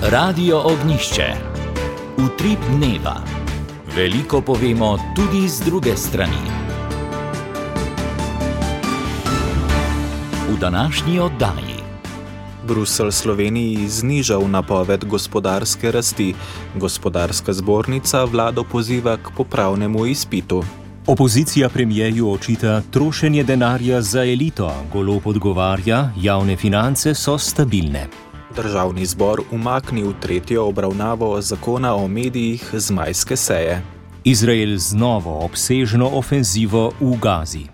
Radio Ognišče. Utrip dneva. Veliko povemo tudi z druge strani. V današnji oddaji. Bruselj Sloveniji znižal napoved gospodarske rasti. Gospodarska zbornica vlado poziva k popravnemu izpitu. Opozicija premierju očita trošenje denarja za elito. Golob odgovarja, javne finance so stabilne. Državni zbor umaknil tretjo obravnavo zakona o medijih z majske seje. Izrael z novo obsežno ofenzivo v Gazi.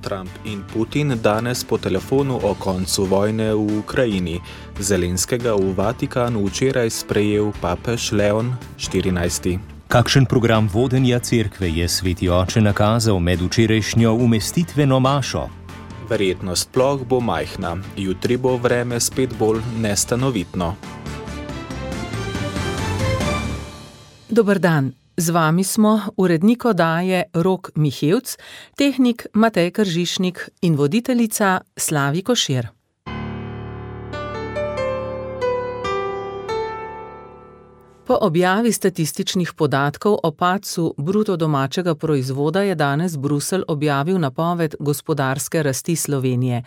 Trump in Putin danes po telefonu o koncu vojne v Ukrajini. Zelenskega v Vatikanu včeraj sprejel papež Leon XIV. Kakšen program vodenja cerkve je sveti oče nakazal med včerajšnjo umestitveno mašo? Verjetnost ploh bo majhna, jutri bo vreme spet bolj nestanovitno. Dober dan, z vami smo urednik oddaje Rok Mihevc, tehnik Matej Kržišnik in voditeljica Slavi Košir. Po objavi statističnih podatkov o padcu bruto domačega proizvoda je danes Bruselj objavil napoved gospodarske rasti Slovenije.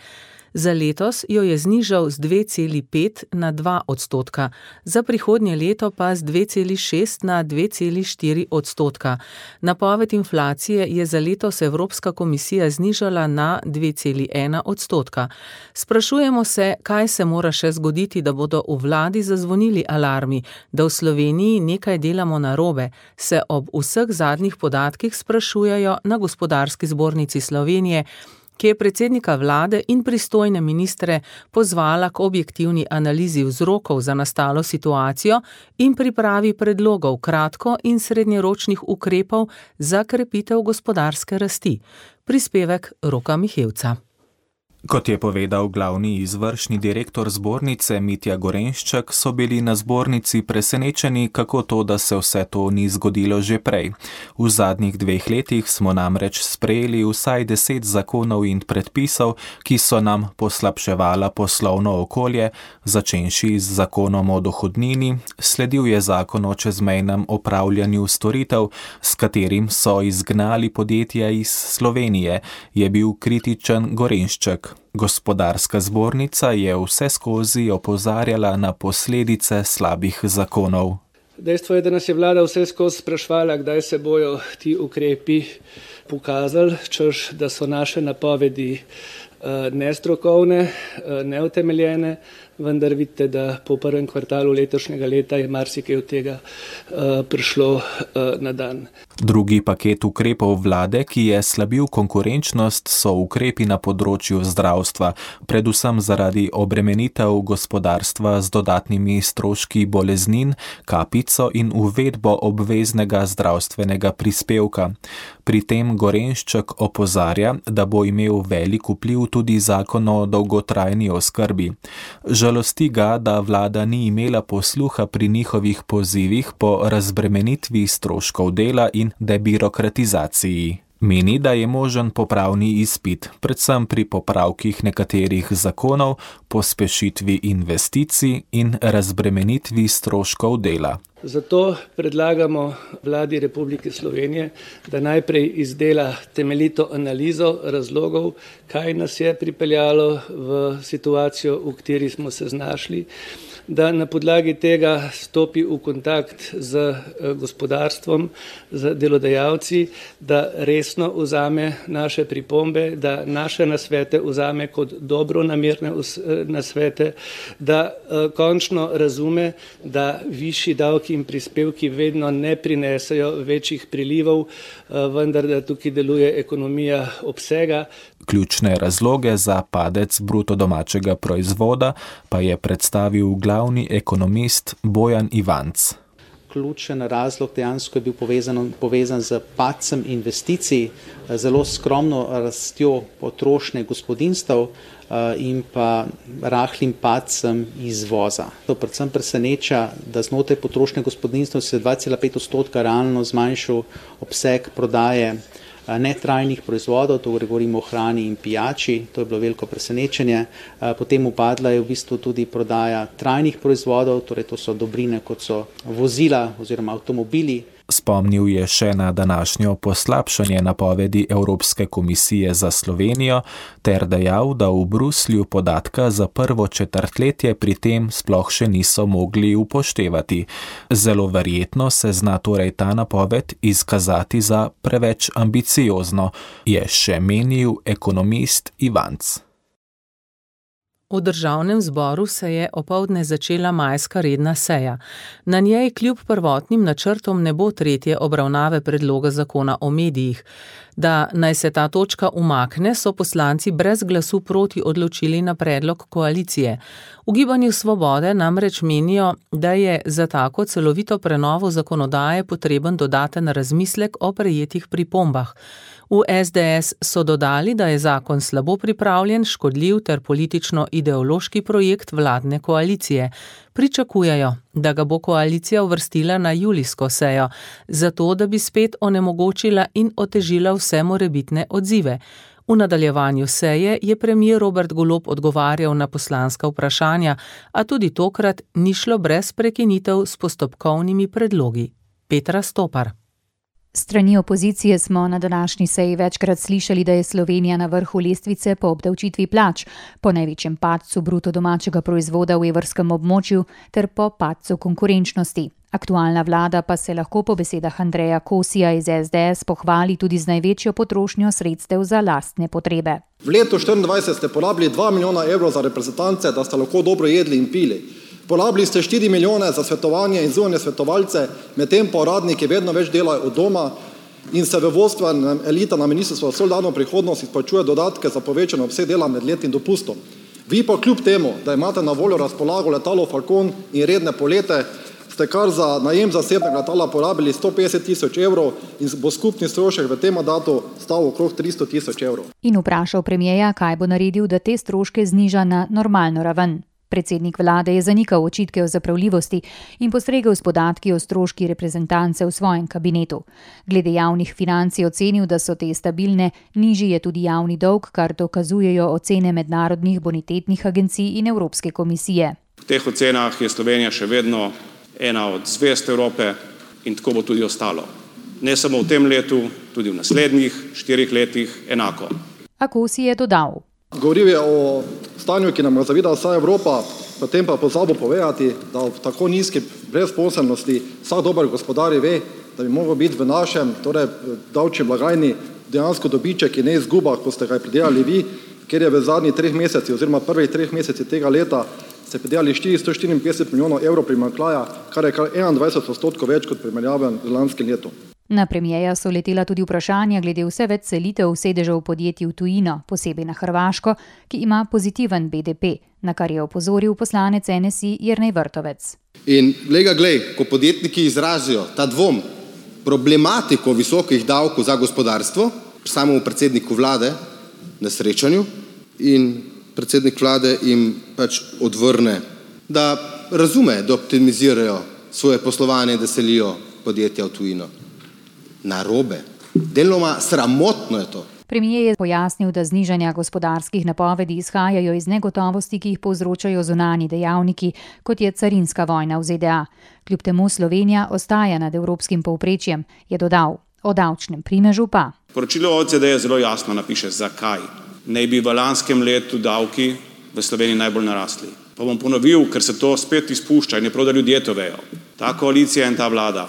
Za letos jo je znižal z 2,5 na 2%, za prihodnje leto pa z 2,6 na 2,4%. Napoved inflacije je za letos Evropska komisija znižala na 2,1%. Sprašujemo se, kaj se mora še zgoditi, da bodo v vladi zazvonili alarmi, da v Sloveniji nekaj delamo narobe, se ob vseh zadnjih podatkih sprašujejo na Gospodarski zbornici Slovenije, ki je predsednika vlade in pristojne ministre pozvala k objektivni analizi vzrokov za nastalo situacijo in pripravi predlogov kratko- in srednjeročnih ukrepov za krepitev gospodarske rasti. Prispevek Roka Mihevca. Kot je povedal glavni izvršni direktor zbornice Mitja Gorenšček, so bili na zbornici presenečeni, kako to, da se vse to ni zgodilo že prej. V zadnjih 2 letih smo namreč sprejeli vsaj 10 zakonov in predpisov, ki so nam poslabševala poslovno okolje, začenši z zakonom o dohodnini, sledil je zakon o čezmejnem opravljanju storitev, s katerim so izgnali podjetja iz Slovenije, je bil kritičen Gorenšček. Gospodarska zbornica je vseskozi opozarjala na posledice slabih zakonov. Dejstvo je, da nas je vlada vseskozi spraševala, kdaj se bojo ti ukrepi pokazali, češ, da so naše napovedi nestrokovne, neutemeljene, vendar vidite, da po prvem kvartalu letošnjega leta je marsikaj od tega prišlo na dan. Drugi paket ukrepov vlade, ki je slabil konkurenčnost, so ukrepi na področju zdravstva, predvsem zaradi obremenitev gospodarstva z dodatnimi stroški boleznin, kapico in uvedbo obveznega zdravstvenega prispevka. Pri tem Gorenšček opozarja, da bo imel velik vpliv tudi zakon o dolgotrajni oskrbi. Žalosti ga, da vlada ni imela posluha pri njihovih pozivih po razbremenitvi stroškov dela in debirokratizaciji. Meni, da je možen popravni izpit, predvsem pri popravkih nekaterih zakonov, pospešitvi investicij in razbremenitvi stroškov dela. Zato predlagamo vladi Republike Slovenije, da najprej izdela temeljito analizo razlogov, kaj nas je pripeljalo v situacijo, v kateri smo se znašli, da na podlagi tega stopi v kontakt z gospodarstvom, z delodajalci, da resno vzame naše pripombe, da naše nasvete vzame kot dobronamerne nasvete, da končno razume, da višji davki in prispevki vedno ne prinesejo večjih prilivov, vendar da tukaj deluje ekonomija obsega. Ključne razloge za padec bruto domačega proizvoda pa je predstavil glavni ekonomist Bojan Ivanc. Ključen razlog dejansko je bil povezan z padcem investicij, zelo skromno rastjo potrošnje gospodinjstev in pa rahlim padcem izvoza. To predvsem preseneča, da znotraj potrošnje gospodinjstev se 2,5% realno zmanjšal obseg prodaje netrajnih proizvodov, to govorimo o hrani in pijači, to je bilo veliko presenečenje. Potem upadla je v bistvu tudi prodaja trajnih proizvodov, torej to so dobrine, kot so vozila oziroma avtomobili. Spomnil je še na današnjo poslabšanje napovedi Evropske komisije za Slovenijo ter dejal, da v Bruslju podatka za prvo četrtletje pri tem sploh še niso mogli upoštevati. Zelo verjetno se zna torej ta napoved izkazati za preveč ambiciozno, je še menil ekonomist Ivanc. V državnem zboru se je opoldne začela majska redna seja. Na njej kljub prvotnim načrtom ne bo tretje obravnave predloga zakona o medijih. Da naj se ta točka umakne, so poslanci brez glasu proti odločili na predlog koalicije. V Gibanju Svobode namreč menijo, da je za tako celovito prenovo zakonodaje potreben dodaten razmislek o prejetih pripombah. V SDS so dodali, da je zakon slabo pripravljen, škodljiv ter politično-ideološki projekt vladne koalicije. Pričakujejo, da ga bo koalicija uvrstila na julijsko sejo, zato da bi spet onemogočila in otežila vse morebitne odzive. V nadaljevanju seje je premier Robert Golob odgovarjal na poslanska vprašanja, a tudi tokrat ni šlo brez prekinitev s postopkovnimi predlogi. Petra Stopar. Strani opozicije smo na današnji seji večkrat slišali, da je Slovenija na vrhu lestvice po obdavčitvi plač, po največjem padcu bruto domačega proizvoda v evrskem območju ter po padcu konkurenčnosti. Aktualna vlada pa se lahko po besedah Andreja Kosija iz SDS pohvali tudi z največjo potrošnjo sredstev za lastne potrebe. V letu 2024 ste porabili 2 milijona evrov za reprezentance, da ste lahko dobro jedli in pili. Porabili ste 4 milijone za svetovanje in zunanje svetovalce, medtem pa uradniki vedno več delajo od doma in se v vodstvenem elita na Ministrstvu za solidarno prihodnost izplačuje dodatke za povečano obseg dela med letnim dopustom. Vi pa kljub temu, da imate na voljo razpolago letalo Falcon in redne polete, ste kar za najem zasebnega letala porabili 150 000 evrov in bo skupni strošek v tem mandatu stal okrog 300 000 evrov. In vprašal premierja, kaj bo naredil, da te stroške zniža na normalno raven. Predsednik vlade je zanikal očitke o zapravljivosti in postregel s podatki o stroški reprezentance v svojem kabinetu. Glede javnih financ je ocenil, da so te stabilne, nižji je tudi javni dolg, kar dokazujejo ocene mednarodnih bonitetnih agencij in Evropske komisije. V teh ocenah je Slovenija še vedno ena od zvezd Evrope in tako bo tudi ostalo. Ne samo v tem letu, tudi v naslednjih 4 letih enako. A Kosi je dodal. Govoril je o stanju, ki nam ga zavida vsa Evropa, potem pa pozabil povedati, da v tako nizki brezposelnosti vsak dober gospodar ve, da bi mogel biti v našem, torej davčni blagajni, dejansko dobiček in ne izguba, ko ste ga pridelali vi, ker je v zadnjih 3 mesecih oziroma prvih 3 mesecih tega leta ste pridelali 454 milijonov evrov primanjkljaja, kar je kar 21% več kot primerjaven z lanskim letom. Na premierja so letela tudi vprašanja glede vse več selitev sedežev podjetij v tujino, posebej na Hrvaško, ki ima pozitiven BDP, na kar je opozoril poslanec NSI Jernej Vrtovec. In glej, ko podjetniki izrazijo ta dvom, problematiko visokih davkov za gospodarstvo, samemu predsedniku vlade na srečanju in predsednik vlade jim pač odvrne, da razume, da optimizirajo svoje poslovanje, da selijo podjetja v tujino. Narobe. Deloma sramotno je to. Premier je pojasnil, da znižanja gospodarskih napovedi izhajajo iz negotovosti, ki jih povzročajo zunanji dejavniki, kot je carinska vojna v ZDA. Kljub temu Slovenija ostaja nad evropskim povprečjem, je dodal. O davčnem primežu pa. Poročilo OECD zelo jasno napiše, zakaj naj bi v lanskem letu davki v Sloveniji najbolj narasli. Pa bom ponovil, ker se to spet izpušča in je prav, da ljudje to vejo. Ta koalicija in ta vlada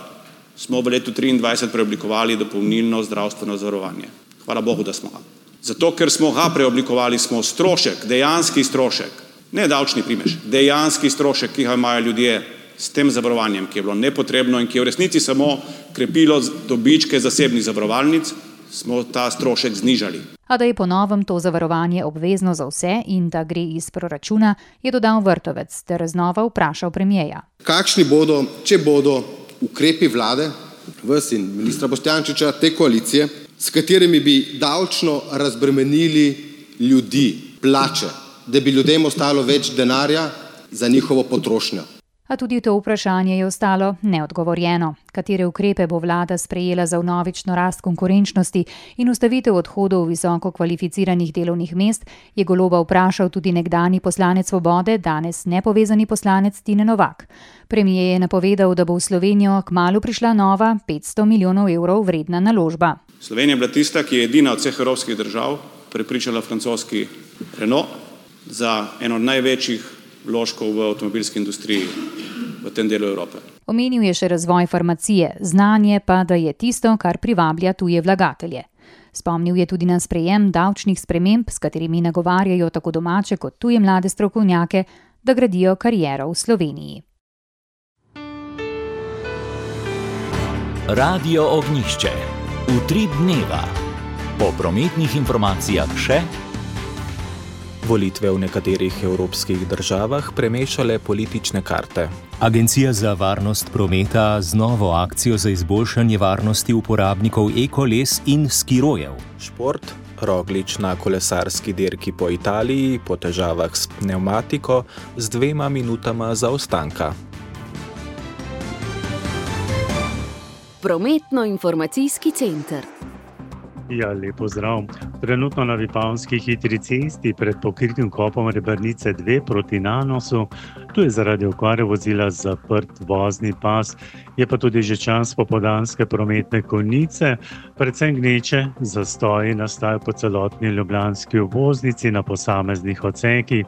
smo v letu 2023 preoblikovali dopolnilno zdravstveno zavarovanje. Hvala Bogu, da smo ga. Zato, ker smo ga preoblikovali, smo strošek, dejanski strošek, ne davčni primež, dejanski strošek, ki ga imajo ljudje s tem zavarovanjem, ki je bilo nepotrebno in ki je v resnici samo krepilo dobičke zasebnih zavarovalnic, smo ta strošek znižali. A da je po novem to zavarovanje obvezno za vse in da gre iz proračuna, je dodal Vrtovec ter znova vprašal premierja. Kakšni bodo, če bodo ukrepi vlade, vas in ministra Boštjančiča, te koalicije, s katerimi bi davčno razbremenili ljudi, plače, da bi ljudem ostalo več denarja za njihovo potrošnjo? A tudi to vprašanje je ostalo neodgovorjeno. Katere ukrepe bo vlada sprejela za vnovično rast konkurenčnosti in ustavitev odhodov visoko kvalificiranih delovnih mest, je Goloba vprašal tudi nekdanji poslanec Svobode, danes nepovezani poslanec Tine Novak. Premier je napovedal, da bo v Slovenijo kmalu prišla nova 500 milijonov evrov vredna naložba. Slovenija je bila tista, ki je edina od vseh evropskih držav prepričala francoski Renault za eno od največjih vložkov v avtomobilski industriji v tem delu Evrope. Omenil je še razvoj farmacije, znanje pa, da je tisto, kar privablja tuje vlagatelje. Spomnil je tudi na sprejem davčnih sprememb, s katerimi nagovarjajo tako domače kot tuje mlade strokovnjake, da gradijo kariero v Sloveniji. Radio Ognjišče. Utrip dneva. Po prometnih informacijah še volitve v nekaterih evropskih državah premešale politične karte. Agencija za varnost prometa z novo akcijo za izboljšanje varnosti uporabnikov e-koles in skirojev. Šport, Roglič na kolesarski dirki po Italiji po težavah s pnevmatiko z 2 minutama zaostanka. Prometno-informacijski center. Ja, lepo zdrav. Trenutno na Vipavski hitri cesti pred pokritim kopom Rebrnice 2 proti Nanosu, tu je zaradi okvare vozila zaprt vozni pas, je pa tudi že čas popoldanske prometne konice, predvsem gneče, zastoji nastajajo po celotni ljubljanski obvoznici na posameznih odsekih.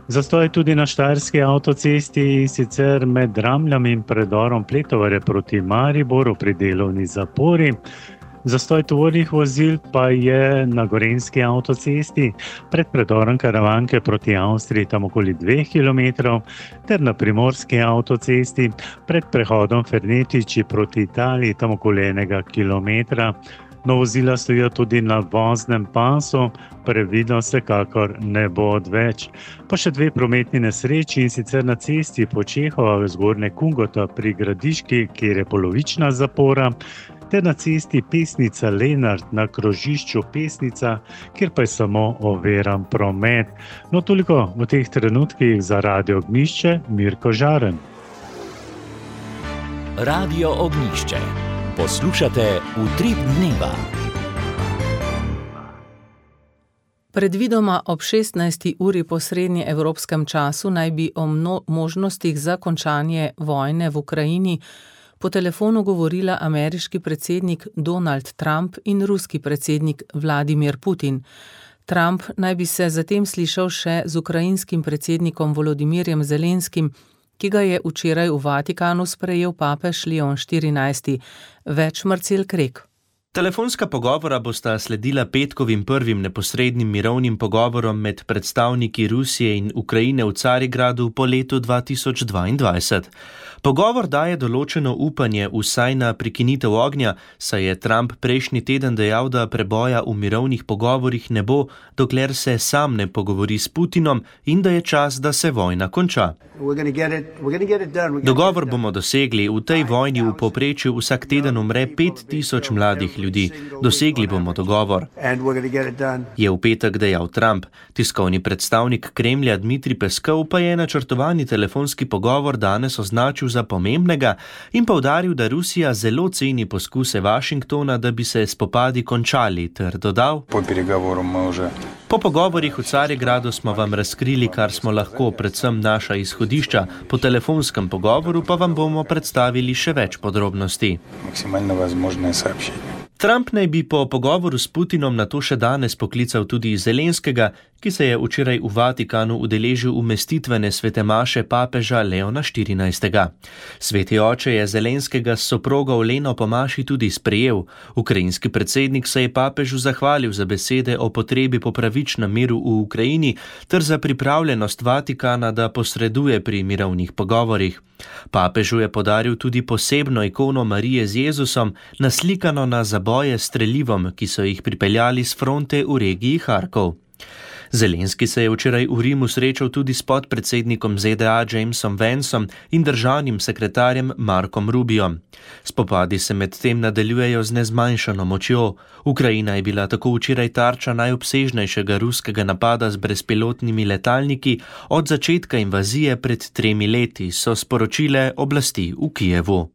Zastoj tudi na Štajerski avtocesti, sicer med Dramljami in predorom Pletovare proti Mariboru pri delovni zapori. Zastoj tovornih vozil pa je na Gorenjski avtocesti pred predorom Karavanke proti Avstriji tam okoli 2 km, ter na Primorski avtocesti pred prehodom Fernetiči proti Italiji tam okoli 1 km. No, vozila stojijo tudi na voznem pasu, previdnost vsekakor ne bo odveč. Pa še 2 prometni nesreči, in sicer na cesti po Čehova v Zgornje Kungota pri Gradiški, kjer je polovična zapora, ter na cesti Pesnica Lenart na krožišču Pesnica, kjer pa je samo oviran promet. No, toliko v teh trenutkih za Radio Ognjišče, Mirko Žaren. Radio Ognjišče. Poslušate Utrip dneva. Predvidoma ob 16. uri po srednjeevropskem času naj bi o možnostih za končanje vojne v Ukrajini po telefonu govorila ameriški predsednik Donald Trump in ruski predsednik Vladimir Putin. Trump naj bi se zatem slišal še z ukrajinskim predsednikom Volodimirjem Zelenskim, ki ga je včeraj v Vatikanu sprejel papež Leon XIV. Več Marcel Krek. Telefonska pogovora bosta sledila petkovim prvim neposrednim mirovnim pogovorom med predstavniki Rusije in Ukrajine v Carigradu po letu 2022. Pogovor daje določeno upanje vsaj na prekinitev ognja, saj je Trump prejšnji teden dejal, da preboja v mirovnih pogovorih ne bo, dokler se sam ne pogovori s Putinom in da je čas, da se vojna konča. Dogovor bomo dosegli. V tej vojni v povprečju vsak teden umre 5000 mladih ljudi. Dosegli bomo dogovor, je v petek dejal Trump. Tiskovni predstavnik Kremlja Dmitrij Peskov pa je načrtovani telefonski pogovor danes označil za pomembnega in poudaril, da Rusija zelo ceni poskuse Washingtona, da bi se spopadi končali, ter dodal: Po pogovorih v Carigradu smo vam razkrili, kar smo lahko, predvsem naša izhodišča, po telefonskem pogovoru pa vam bomo predstavili še več podrobnosti. Trump naj bi po pogovoru s Putinom nato še danes poklical tudi Zelenskega, ki se je včeraj v Vatikanu udeležil umestitvene svete maše papeža Leona XIV. Sveti oče je Zelenskega s soprogo Leno po maši tudi sprejel. Ukrajinski predsednik se je papežu zahvalil za besede o potrebi po pravičnem miru v Ukrajini ter za pripravljenost Vatikana, da posreduje pri mirovnih pogovorih. Papežu je podaril tudi posebno ikono Marije z Jezusom, naslikano na zaboje s strelivom, ki so jih pripeljali s fronte v regiji Harkov. Zelenski se je včeraj v Rimu srečal tudi s podpredsednikom ZDA Jamesom Vanceom in državnim sekretarjem Markom Rubiom. Spopadi se medtem nadaljujejo z nezmanjšano močjo. Ukrajina je bila tako včeraj tarča najobsežnejšega ruskega napada z brezpilotnimi letalniki od začetka invazije pred 3 leti, so sporočile oblasti v Kijevu.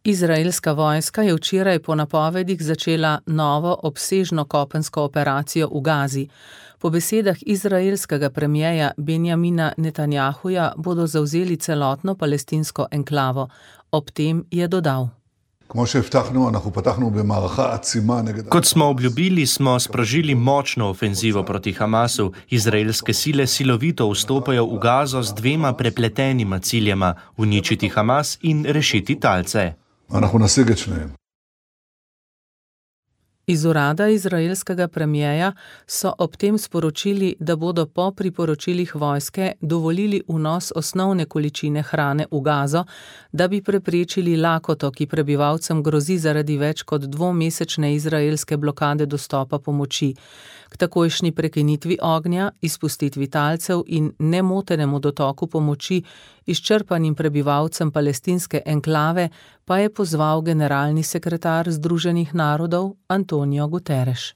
Izraelska vojska je včeraj po napovedih začela novo obsežno kopensko operacijo v Gazi. Po besedah izraelskega premierja Benjamina Netanjahuja bodo zavzeli celotno palestinsko enklavo. Ob tem je dodal: Kot smo obljubili, smo sprožili močno ofenzivo proti Hamasu. Izraelske sile silovito vstopajo v Gazo z 2 prepletenima ciljema: uničiti Hamas in rešiti talce. Iz urada izraelskega premierja so ob tem sporočili, da bodo po priporočilih vojske dovolili vnos osnovne količine hrane v Gazo, da bi preprečili lakoto, ki prebivalcem grozi zaradi več kot 2-mesečne izraelske blokade dostopa pomoči. K takojšnji prekinitvi ognja, izpustitvi talcev in nemotenemu dotoku pomoči izčrpanim prebivalcem palestinske enklave pa je pozval generalni sekretar Združenih narodov Antonio Guterres.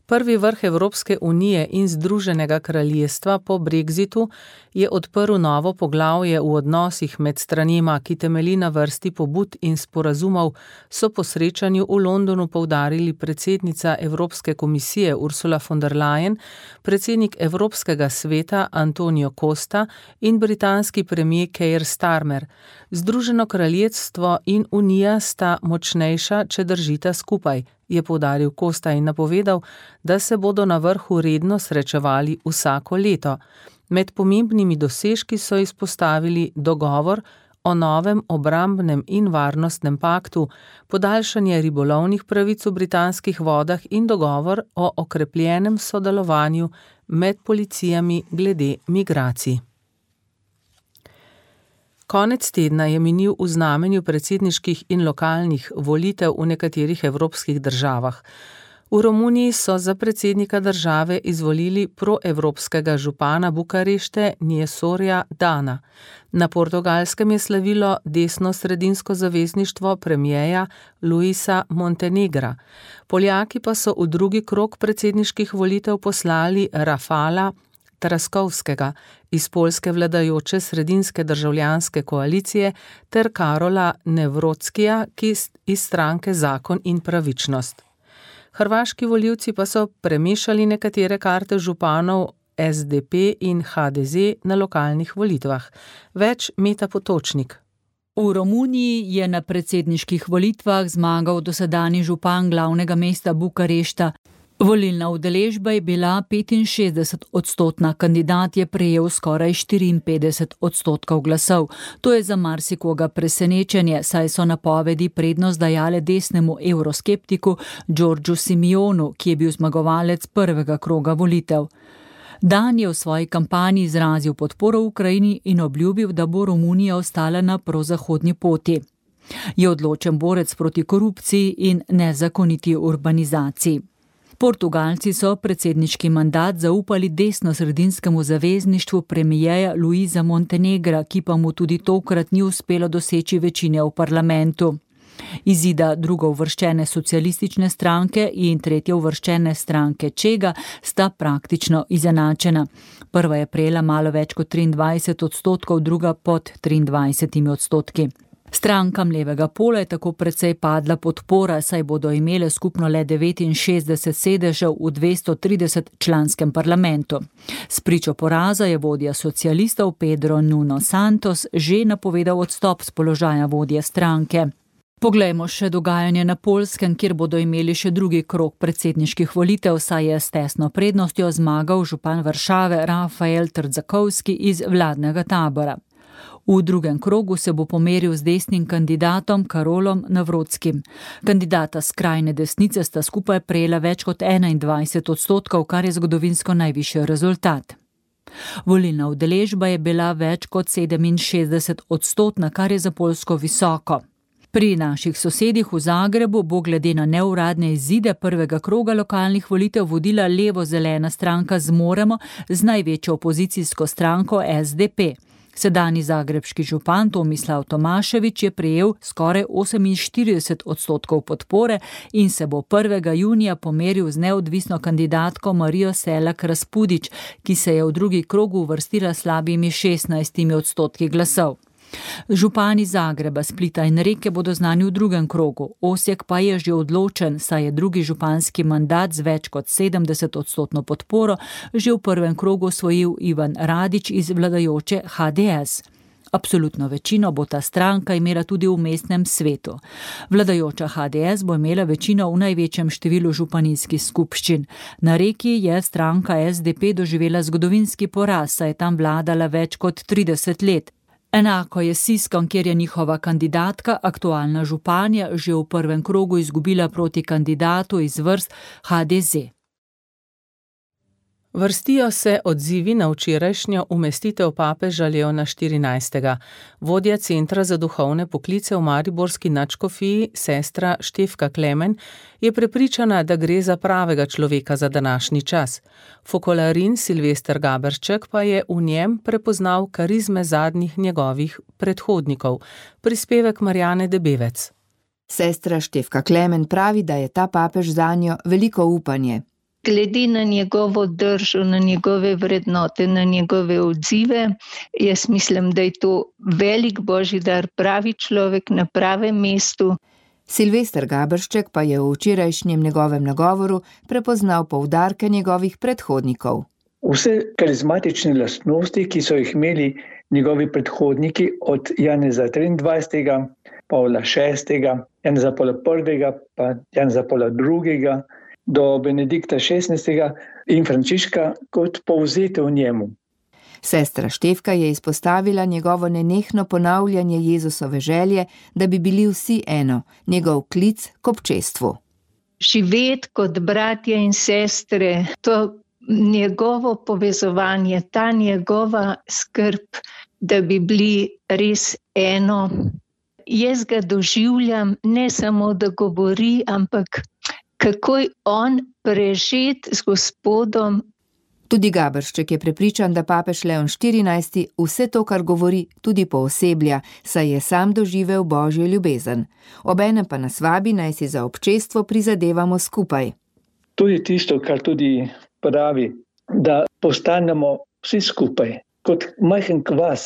Prvi vrh Evropske unije in Združenega kraljestva po Brexitu je odprl novo poglavje v odnosih med stranima, ki temelji na vrsti pobud in sporazumov, so po srečanju v Londonu poudarili predsednica Evropske komisije Ursula von der Leyen, predsednik Evropskega sveta Antonio Costa in britanski premier Keir Starmer. Združeno kraljestvo in unija sta močnejša, če držita skupaj, je poudaril Costa in napovedal, da se bodo na vrhu redno srečevali vsako leto. Med pomembnimi dosežki so izpostavili dogovor o novem obrambnem in varnostnem paktu, podaljšanje ribolovnih pravic v britanskih vodah in dogovor o okrepljenem sodelovanju med policijami glede migracij. Konec tedna je minil v znamenju predsedniških in lokalnih volitev v nekaterih evropskih državah. V Romuniji so za predsednika države izvolili proevropskega župana Bukarešte Njesorja Dana. Na Portugalskem je slavilo desno-sredinsko zavezništvo premierja Luisa Montenegra. Poljaki pa so v drugi krog predsedniških volitev poslali Rafala Traskovskega iz poljske vladajoče sredinske državljanske koalicije ter Karola Nevrockija, ki iz stranke Zakon in pravičnost. Hrvaški volivci pa so premešali nekatere karte županov SDP in HDZ na lokalnih volitvah. Več Meta Potočnik. V Romuniji je na predsedniških volitvah zmagal dosedanji župan glavnega mesta Bukarešta. Volilna udeležba je bila 65%, kandidat je prejel skoraj 54% glasov. To je za marsikoga presenečenje, saj so napovedi prednost dajale desnemu evroskeptiku Giorgiu Simionu, ki je bil zmagovalec prvega kroga volitev. Dan je v svoji kampanji izrazil podporo Ukrajini in obljubil, da bo Romunija ostala na prozahodni poti. Je odločen borec proti korupciji in nezakoniti urbanizaciji. Portugalci so predsedniški mandat zaupali desno-sredinskemu zavezništvu premierja Luisa Montenegra, ki pa mu tudi tokrat ni uspelo doseči večine v parlamentu. Izida drugouvrščene socialistične stranke in tretjeuvrščene stranke Čega sta praktično izenačena. Prva je prejela malo več kot 23%, druga pod 23%. Strankam levega pola je tako precej padla podpora, saj bodo imele skupno le 69 sedežev v 230 članskem parlamentu. Spričo poraza je vodja socialistov Pedro Nuno Santos že napovedal odstop s položaja vodje stranke. Poglejmo še dogajanje na Poljskem, kjer bodo imeli še drugi krog predsedniških volitev, saj je s tesno prednostjo zmagal župan Varšave Rafael Trzakovski iz vladnega tabora. V drugem krogu se bo pomeril z desnim kandidatom Karolom Navrotskim. Kandidata skrajne desnice sta skupaj prejela več kot 21%, kar je zgodovinsko najvišji rezultat. Volilna udeležba je bila več kot 67%, kar je za Poljsko visoko. Pri naših sosedih v Zagrebu bo glede na neuradne izide prvega kroga lokalnih volitev vodila levo-zelena stranka Zmoremo z največjo opozicijsko stranko SDP. Sedanji zagrebški župan Tomislav Tomašević je prejel skoraj 48% podpore in se bo 1. junija pomeril z neodvisno kandidatko Marijo Selak Raspudić, ki se je v drugi krog uvrstila slabimi 16% glasov. Župani Zagreba, Splita in Reke bodo znani v drugem krogu. Osijek pa je že odločen, saj je drugi županski mandat z več kot 70% podporo že v prvem krogu osvojil Ivan Radić iz vladajoče HDS. Absolutno večino bo ta stranka imela tudi v mestnem svetu. Vladajoča HDS bo imela večino v največjem številu županijskih skupščin. Na Reki je stranka SDP doživela zgodovinski poraz, saj je tam vladala več kot 30 let. Enako je s Siskom, kjer je njihova kandidatka, aktualna županja, že v prvem krogu izgubila proti kandidatu iz vrst HDZ. Vrstijo se odzivi na včerajšnjo umestitev papeža Leona XIV. Vodja Centra za duhovne poklice v mariborski nadškofiji, sestra Štefka Klemen, je prepričana, da gre za pravega človeka za današnji čas. Fokolarin Silvester Gaberšček pa je v njem prepoznal karizme zadnjih njegovih predhodnikov. Prispevek Marjane Debevec. Sestra Štefka Klemen pravi, da je ta papež zanjo veliko upanje. Glede na njegovo držo, na njegove vrednote, na njegove odzive, jaz mislim, da je to velik božji dar, pravi človek na pravem mestu. Silvester Gaberšček pa je v včerajšnjem njegovem nagovoru prepoznal poudarke njegovih predhodnikov. Vse karizmatične lastnosti, ki so jih imeli njegovi predhodniki od Janeza 23., Pavla VI., Janeza Pavla I., pa Janeza Pavla II., do Benedikta XVI. In Frančiška kot povzete v njemu. Sestra Štefka je izpostavila njegovo nenehno ponavljanje Jezusove želje, da bi bili vsi eno, njegov klic k občestvu. Živeti kot bratje in sestre, to njegovo povezovanje, ta njegova skrb, da bi bili res eno. Jaz ga doživljam ne samo, da govori, ampak kako je on prežet z Gospodom. Tudi Gaberšček je prepričan, da papež Leon XIV vse to, kar govori, tudi pooseblja, saj je sam doživel božjo ljubezen. Obenem pa nas vabi, naj si za občestvo prizadevamo skupaj. Tudi tisto, kar tudi pravi, da postanemo vsi skupaj, kot majhen kvas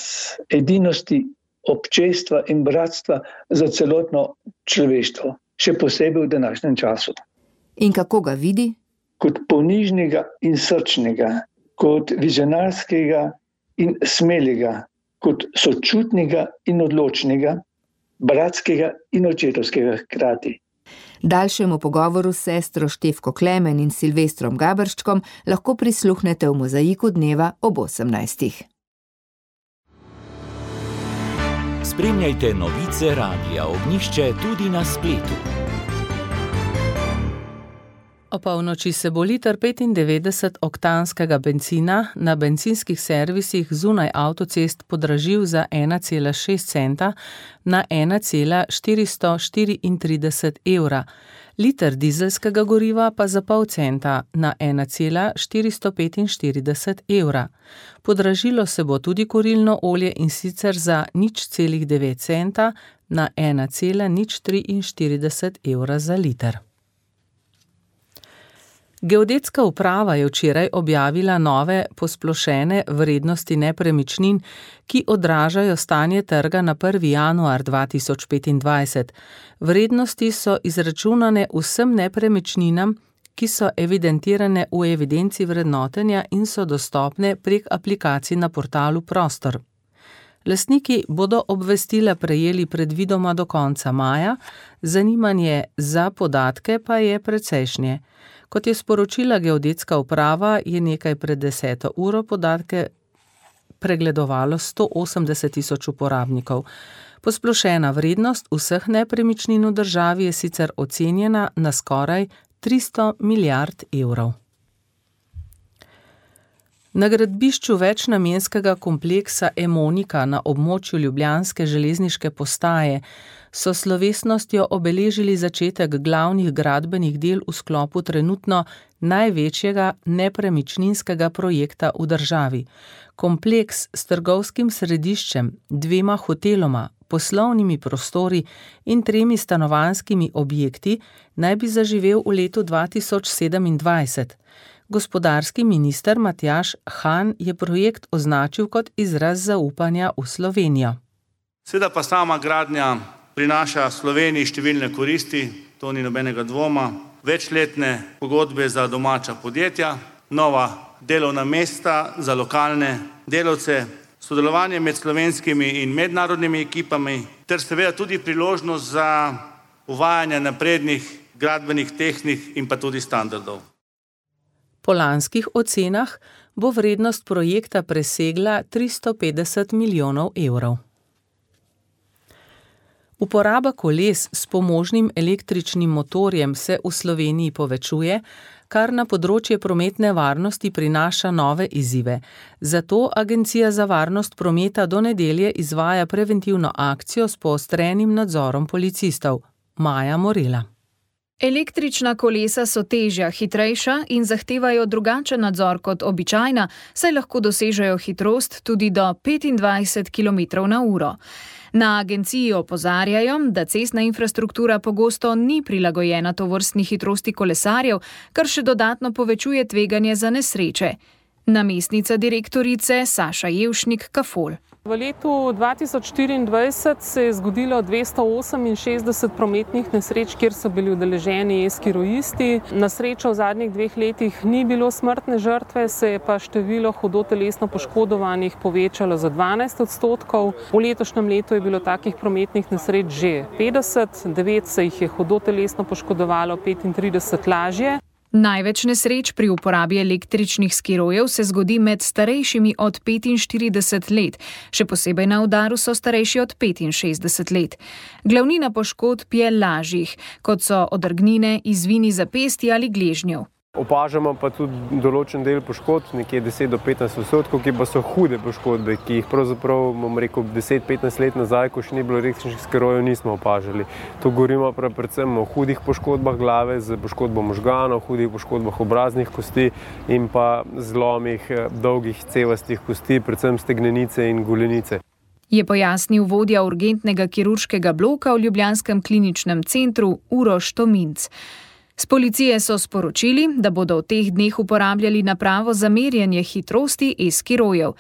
edinosti, občestva in bratstva za celotno človeštvo, še posebej v današnjem času. In kako ga vidi? Kot ponižnega in srčnega, kot vizionarskega in smelega, kot sočutnega in odločnega, bratskega in očetovskega hkrati. Daljšemu pogovoru s sestro Štefko Klemen in Silvestrom Gaberščkom lahko prisluhnete v Mozaiku dneva ob 18. Spremljajte novice Radia Ognjišče tudi na spletu. O polnoči se bo liter 95-oktanskega bencina na bencinskih servisih zunaj avtocest podražil za 1,6 centa na 1,434 evra, liter dizelskega goriva pa za pol centa na 1,445 evra. Podražilo se bo tudi kurilno olje in sicer za 0,9 centa na 1,043 evra za liter. Geodetska uprava je včeraj objavila nove posplošene vrednosti nepremičnin, ki odražajo stanje trga na 1. januar 2025. Vrednosti so izračunane vsem nepremičninam, ki so evidentirane v evidenci vrednotenja in so dostopne prek aplikacij na portalu Prostor. Lastniki bodo obvestila prejeli predvidoma do konca maja, zanimanje za podatke pa je precejšnje. Kot je sporočila geodetska uprava, je nekaj pred 10. uro podatke pregledovalo 180.000 uporabnikov. Posplošena vrednost vseh nepremičnin v državi je sicer ocenjena na skoraj 300 milijard evrov. Na gradbišču večnamenskega kompleksa Emonika na območju ljubljanske železniške postaje so s slovesnostjo obeležili začetek glavnih gradbenih del v sklopu trenutno največjega nepremičninskega projekta v državi. Kompleks s trgovskim središčem, 2 hoteloma, poslovnimi prostori in 3 stanovanjskimi objekti naj bi zaživel v letu 2027. Gospodarski minister Matjaž Han je projekt označil kot izraz zaupanja v Slovenijo. Seveda pa sama gradnja prinaša Sloveniji številne koristi, to ni nobenega dvoma, večletne pogodbe za domača podjetja, nova delovna mesta za lokalne delavce, sodelovanje med slovenskimi in mednarodnimi ekipami ter seveda tudi priložnost za uvajanje naprednih gradbenih tehnik in pa tudi standardov. Po lanskih ocenah bo vrednost projekta presegla 350 milijonov evrov. Uporaba koles s pomožnim električnim motorjem se v Sloveniji povečuje, kar na področje prometne varnosti prinaša nove izzive. Zato Agencija za varnost prometa do nedelje izvaja preventivno akcijo s poostrenim nadzorom policistov. Maja Morela. Električna kolesa so težja, hitrejša in zahtevajo drugačen nadzor kot običajna, saj lahko dosežejo hitrost tudi do 25 km/h. Na agenciji opozarjajo, da cestna infrastruktura pogosto ni prilagojena tovrstni hitrosti kolesarjev, kar še dodatno povečuje tveganje za nesreče. Namestnica direktorice Saša Jevšnik-Kafol. V letu 2024 se je zgodilo 268 prometnih nesreč, kjer so bili udeleženi e-skirojisti. Na srečo v zadnjih 2 letih ni bilo smrtne žrtve, se je pa število hudo telesno poškodovanih povečalo za 12%. V letošnjem letu je bilo takih prometnih nesreč že 50, 9 se jih je hudo telesno poškodovalo, 35 lažje. Največ nesreč pri uporabi električnih skirojev se zgodi med starejšimi od 45 let, še posebej na udaru so starejši od 65 let. Glavnina poškodb je lažjih, kot so odrgnine, izvini zapestij ali gležnjev. Opažamo pa tudi določen del poškodb, nekje 10 do 15%, ki pa so hude poškodbe, ki jih pravzaprav, bom rekel, 10-15 let nazaj, ko še ni bilo električnih skirojev, nismo opažali. Tu govorimo predvsem o hudih poškodbah glave, z poškodbo možganov, hudih poškodbah obraznih kosti in pa zlomih dolgih cevastih kosti, predvsem stegnenice in golenice. Je pojasnil vodja urgentnega kirurškega bloka v ljubljanskem kliničnem centru Uroš Tominc. S policije so sporočili, da bodo v teh dneh uporabljali napravo za merjenje hitrosti e-skirojev.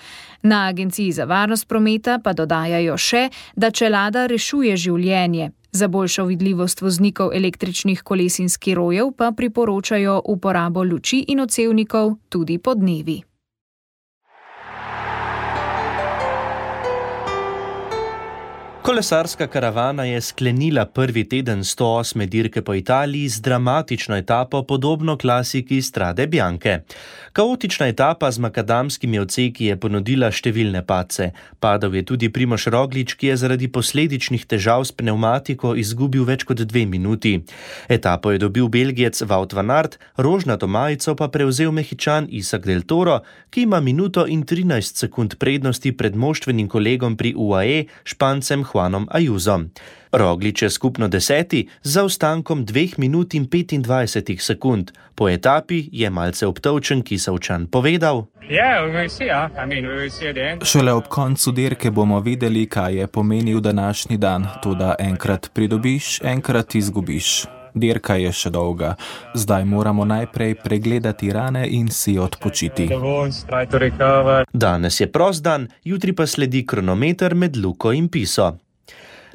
Na Agenciji za varnost prometa pa dodajajo še, da čelada rešuje življenje. Za boljšo vidljivost voznikov električnih koles in skirojev pa priporočajo uporabo luči in odsevnikov tudi podnevi. Kolesarska karavana je sklenila prvi teden 108. dirke po Italiji z dramatično etapo podobno klasiki Strade Bianche. Kaotična etapa z makadamskimi odseki je ponudila številne padce. Padal je tudi Primož Roglič, ki je zaradi posledičnih težav s pnevmatiko izgubil več kot 2 minuti. Etapo je dobil Belgijec Wout van Aert, rožnato majico pa prevzel Mehičan Isak del Toro, ki ima minuto in 13 sekund prednosti pred moštvenim kolegom pri UAE, Špancem Juanom Ayusom. Roglič je skupno 10. z zaostankom 2 minut in 25 sekund. Po etapi je malce obtolčen Kisovčan povedal: Šele ob koncu dirke bomo videli, kaj je pomenil današnji dan, toda enkrat pridobiš, enkrat izgubiš. Dirka je še dolga. Zdaj moramo najprej pregledati rane in si odpočiti. Danes je prost dan, jutri pa sledi kronometer med Luko in Piso.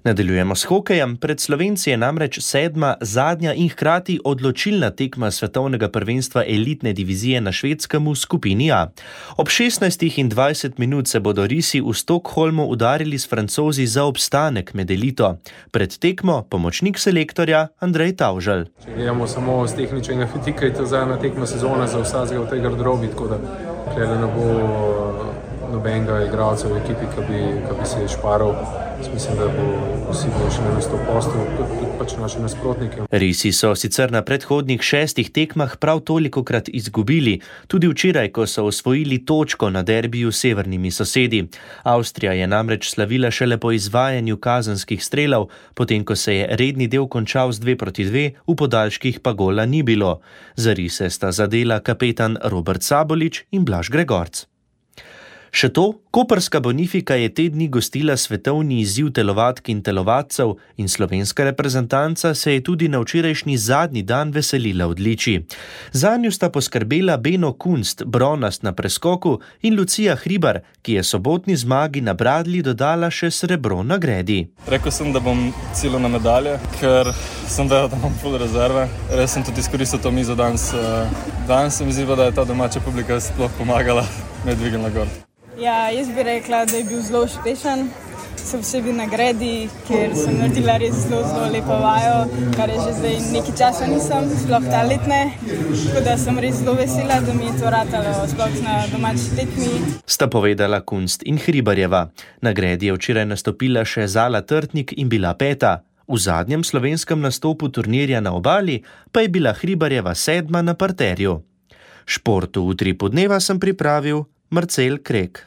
Nadaljujemo s hokejem. Pred Slovenci je namreč 7. zadnja in hkrati odločilna tekma svetovnega prvenstva elitne divizije na Švedskem v skupini A. Ob 16:20 minut se bodo risi v Stockholmu udarili s Francozi za obstanek med elito. Pred tekmo pomočnik selektorja Andrej Tavželj. Če gledamo samo z tehničnega vidika, je to zadnja tekma sezone za vsakega v tej garderobi, tako da ne bo nobenega igralca v ekipi, ki bi se šparal Mislim, da bo vsi boljši na isto poslu, tudi pač naši nasprotniki. Risi so sicer na predhodnih 6 tekmah prav tolikokrat izgubili, tudi včeraj, ko so osvojili točko na derbiju s severnimi sosedi. Avstrija je namreč slavila šele po izvajanju kazenskih strelov, potem ko se je redni del končal z 2-2, v podaljških pa gola ni bilo. Za rise sta zadela kapetan Robert Sabolič in Blaž Gregorc. Še to, koprska Bonifika je te dni gostila svetovni izziv telovadk in telovadcev in slovenska reprezentanca se je tudi na včerajšnji zadnji dan veselila odličij. Zanju sta poskrbela Beno Kunst, bronast na preskoku, in Lucija Hribar, ki je sobotni zmagi na bradlji dodala še srebro na gredi. Rekel sem, da bom cilil na medalje, ker sem vedel, da imam full rezerve. Res sem tudi izkoristil to mizo danes. Danes se mi zdi, da je ta domača publika sploh pomagala me dvignila gor. Ja, jaz bi rekla, da je bil zelo uspešen, se posebej na gredi, ker sem naredila res zelo lepo vajo, kar je že zdaj nekaj časa nisem, sploh ta letne, tako da sem res zelo vesela, da mi je to ratalo sploh na domači tekmi. Sta povedala Kunst in Hribarjeva. Na gredi je včeraj nastopila še Zala Trtnik in bila 5. V zadnjem slovenskem nastopu turnirja na Obali pa je bila Hribarjeva 7. na parterju. Športu v Utripu dneva sem pripravil Marcel Krek.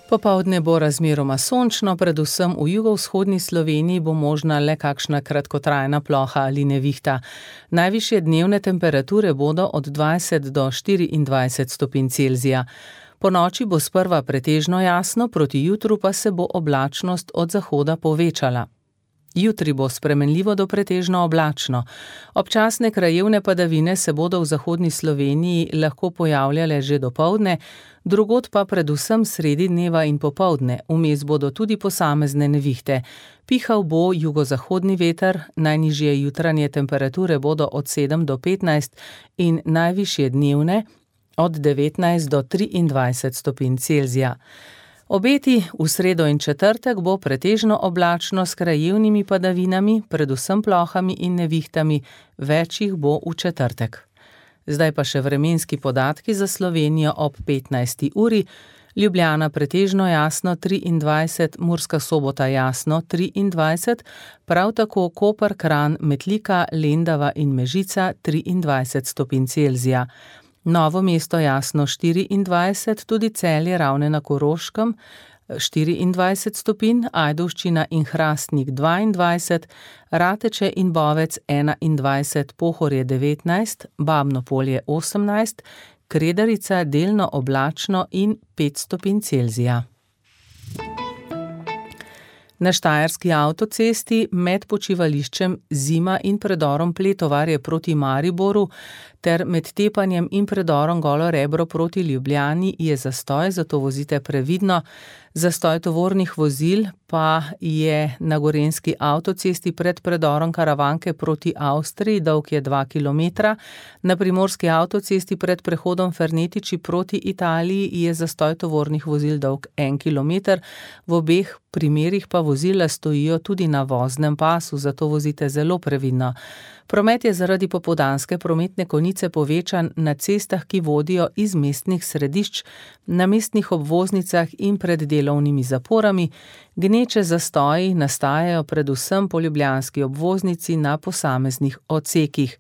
Popoldne bo razmeroma sončno, predvsem v jugovzhodni Sloveniji bo možna le kakšna kratkotrajna ploha ali nevihta. Najvišje dnevne temperature bodo od 20 do 24 stopinj Celzija. Po noči bo sprva pretežno jasno, proti jutru pa se bo oblačnost od zahoda povečala. Jutri bo spremenljivo do pretežno oblačno. Občasne krajevne padavine se bodo v zahodni Sloveniji lahko pojavljale že dopoldne, drugod pa predvsem sredi dneva in popoldne, vmes bodo tudi posamezne nevihte. Pihal bo jugozahodni veter, najnižje jutranje temperature bodo od 7 do 15 in najvišje dnevne od 19 do 23 stopinj Celzija. Obeti v sredo in četrtek bo pretežno oblačno s krajevnimi padavinami, predvsem plohami in nevihtami, več jih bo v četrtek. Zdaj pa še vremenski podatki za Slovenijo ob 15. uri. Ljubljana pretežno jasno 23, Murska Sobota jasno 23, prav tako Koper, Kranj, Metlika, Lendava in Mežica 23 stopinj Celzija. Novo mesto jasno 24, tudi Celje, Ravne na Koroškem 24 stopinj, Ajdovščina in Hrastnik 22, Rateče in Bovec 21, Pohorje 19, Babno Polje 18, Kredarica delno oblačno in 5 stopinj Celzija. Na štajerski avtocesti med počivališčem Zima in predorom Pletovarje proti Mariboru ter med Tepanjem in predorom Golo Rebro proti Ljubljani je zastoj, zato vozite previdno. Zastoj tovornih vozil pa je na gorenjski avtocesti pred predorom Karavanke proti Avstriji, dolg je 2 km. Na primorski avtocesti pred prehodom Fernetiči proti Italiji je zastoj tovornih vozil dolg 1 km. V obeh primerih pa vozila stojijo tudi na voznem pasu, zato vozite zelo previdno. Promet je zaradi popoldanske prometne konice povečan na cestah, ki vodijo iz mestnih središč, na mestnih obvoznicah in pred delovnimi zaporami. Gneče zastoji nastajajo predvsem po ljubljanski obvoznici na posameznih odsekih.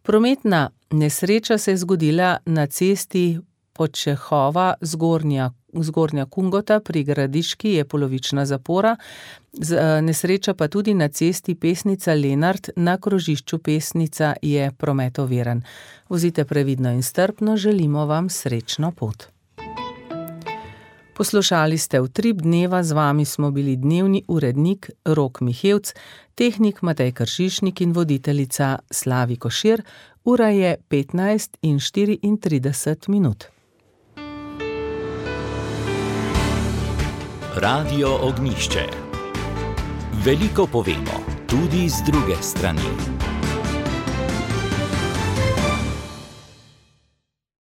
Prometna nesreča se je zgodila na cesti Podčehova Zgornja Kungota pri Gradiški je polovična zapora, nesreča pa tudi na cesti Pesnica Lenart na krožišču Pesnica je promet oviran. Vozite previdno in strpno, želimo vam srečno pot. Poslušali ste Utrip dneva, z vami smo bili dnevni urednik Rok Mihevc, tehnik Matej Kršišnik in voditeljica Slavi Košir. Ura je 15:34. Radio Ognjišče. Veliko povemo, tudi z druge strani.